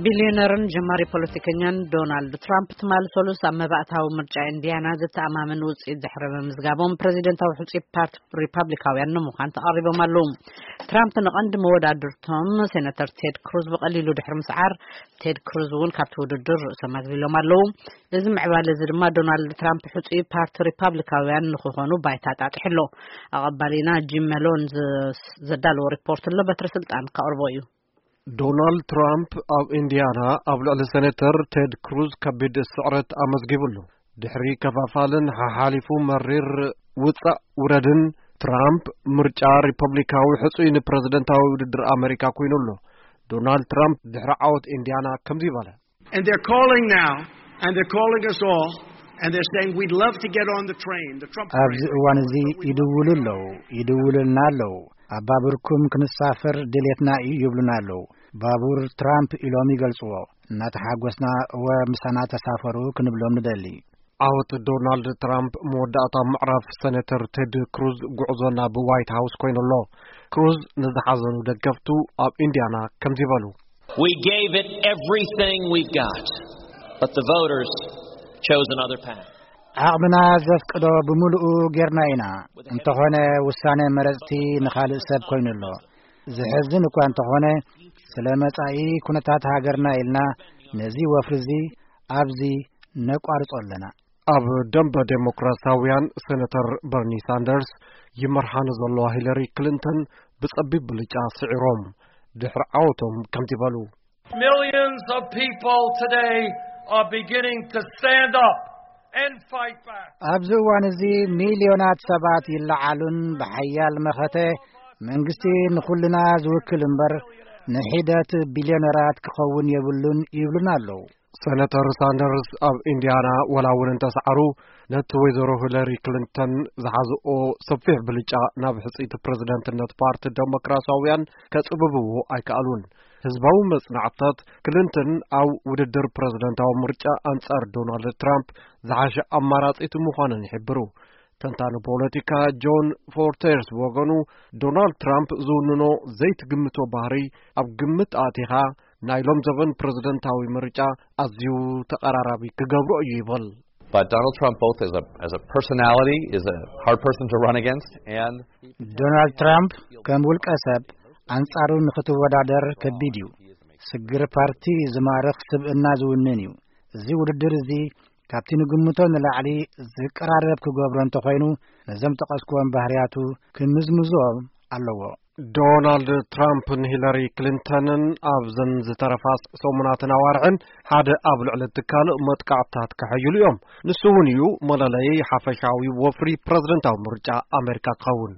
ቢልዮነርን ጀማሪ ፖለቲከኛን ዶናልድ ትራምፕ ትማሊ ሰሉስ ኣብ መባእታዊ ምርጫ ኢንዲያና ዘተኣማምን ውፅኢት ድሕሪ ምምዝጋቦም፣ ፕሬዚደንታዊ ሕፁይ ፓርቲ ሪፓብሊካውያን ንምዃን ተቐሪቦም ኣለዉ። ትራምፕ ንቐንዲ መወዳድርቶም ሴናተር ቴድ ክሩዝ ብቐሊሉ ድሕሪ ምስዓር፣ ቴድ ክሩዝ እውን ካብቲ ውድድር ርእሶም ኣግሊሎም ኣለዉ። እዚ ምዕባለ እዚ ድማ ዶናልድ ትራምፕ ሕፁይ ፓርቲ ሪፓብሊካውያን ንክኾኑ ባይታ ጣጢሑ ኣሎ። ኣቐባሊና ጂም መሎን ዘዳለዎ ሪፖርት ኣሎ፣ በትሪ ስልጣን ከቕርቦ እዩ። ዶናልድ ትራምፕ ኣብ ኢንዲያና ኣብ ልዕሊ ሴኔተር ቴድ ክሩዝ ከቢድ ስዕረት ኣመዝጊቡ ኣሎ። ድሕሪ ከፋፋልን ሓሓሊፉ መሪር ውጻእ ውረድን፣ ትራምፕ ምርጫ ሪፐብሊካዊ ሕጹይ ንፕረዚደንታዊ ውድድር ኣመሪካ ኮይኑ ኣሎ። ዶናልድ ትራምፕ ድሕሪ ዓወት ኢንዲያና ከምዚ በለ። And they're calling now, and they're calling us all, and they're saying, "We'd love to get on the train, the Trump train." ኣብዚ እዋን እዚ ይድውሉ ኣለዉ፣ ይድውሉልና ኣለዉ። ኣብ ባቡርኩም ክንሳፈር ድሌትና እዩ ይብሉና ኣለዉ። ባቡር ትራምፕ ኢሎም ይገልጽዎ። እናተሓጎስና፣ "እወ፣ ምሳና ተሳፈሩ" ክንብሎም ንደሊ። ዓወት ዶናልድ ትራምፕ መወዳእታ ምዕራፍ ሴኔተር ቴድ ክሩዝ ጉዕዞ ናብ ዋይት ሃውስ ኮይኑ ኣሎ። ክሩዝ ንዝሓዘኑ ደገፍቱ ኣብ ኢንዲያና ከምዚ በሉ። We gave it everything we've got, but the voters chose another path. ዓቕምና ዘፍቅዶ ብምሉኡ ጌርና ኢና። እንተኾነ፣ ውሳነ መረጽቲ ንኻልእ ሰብ ኮይኑ ኣሎ። ዝሕዝን እኳ እንተኾነ፣ ስለ መጻኢ ኩነታት ሃገርና ኢልና ነዚ ወፍሪ እዚ ኣብዚ ነቋርጾ ኣለና። ኣብ ደንበ ዴሞክራሲያውያን፣ ሴኔተር በርኒ ሳንደርስ ይመርሓ ንዘለዋ ሂለሪ ክሊንተን ብጸቢብ ብልጫ ስዒሮም። ድሕሪ ዓወቶም ከምዚ በሉ። Millions of people today are beginning to stand up and fight back. ኣብዚ እዋን እዚ ሚልዮናት ሰባት ይለዓሉን ብሓያል መኸተ መንግስቲ ንኹልና ዝውክል እምበር ንሒደት ቢልዮነራት ክኸውን የብሉን ይብሉና ኣለዉ። ሴኔተር ሳንደርስ ኣብ ኢንዲያና ወላ እውን እንተሰዓሩ፣ ነቲ ወይዘሮ ሂለሪ ክሊንተን ዝሓዝኦ ሰፊሕ ብልጫ ናብ ሕጽይቲ ፕረዚደንትነት ፓርቲ ደሞክራሲያውያን ከጽብብዎ ኣይከኣሉን። ህዝባዊ መጽናዕትታት፣ ክሊንተን ኣብ ውድድር ፕረዚደንታዊ ምርጫ ኣንጻር ዶናልድ ትራምፕ ዝሓሸ ኣማራጺት ምዃነን ይሕብሩ። ተንታኒ ፖለቲካ ጆን ፎርተርስ ብወገኑ፣ ዶናልድ ትራምፕ ዝውንኖ ዘይትግምቶ ባህሪ ኣብ ግምት ኣእቲኻ፣ ናይ ሎም ዘበን ፕረዚደንታዊ ምርጫ ኣዝዩ ተቐራራቢ ክገብሮ እዩ ይብል። But Donald Trump, both as a, as a personality, is a hard person to run against, and ዶናልድ ትራምፕ ከም ውልቀ ሰብ ኣንጻሩ ንኽትወዳደር ከቢድ እዩ። ስግር ፓርቲ ዝማርኽ ስብእና ዝውንን እዩ። እዚ ውድድር እዚ ካብቲ ንግምቶ ንላዕሊ ዝቀራረብ ክገብሮ እንተኾይኑ፣ ነዞም ጠቐስክዎም ባህርያቱ ክምዝምዞም ኣለዎ። ዶናልድ ትራምፕን ሂለሪ ክሊንተንን ኣብዘን ዝተረፋ ሰሙናትን ኣዋርሕን ሓደ ኣብ ልዕሊ እቲ ካልእ መጥቃዕትታት ከሐይሉ እዮም። ንሱ እውን እዩ መለለዪ ሓፈሻዊ ወፍሪ ፕረዚደንታዊ ምርጫ ኣሜሪካ ክኸውን።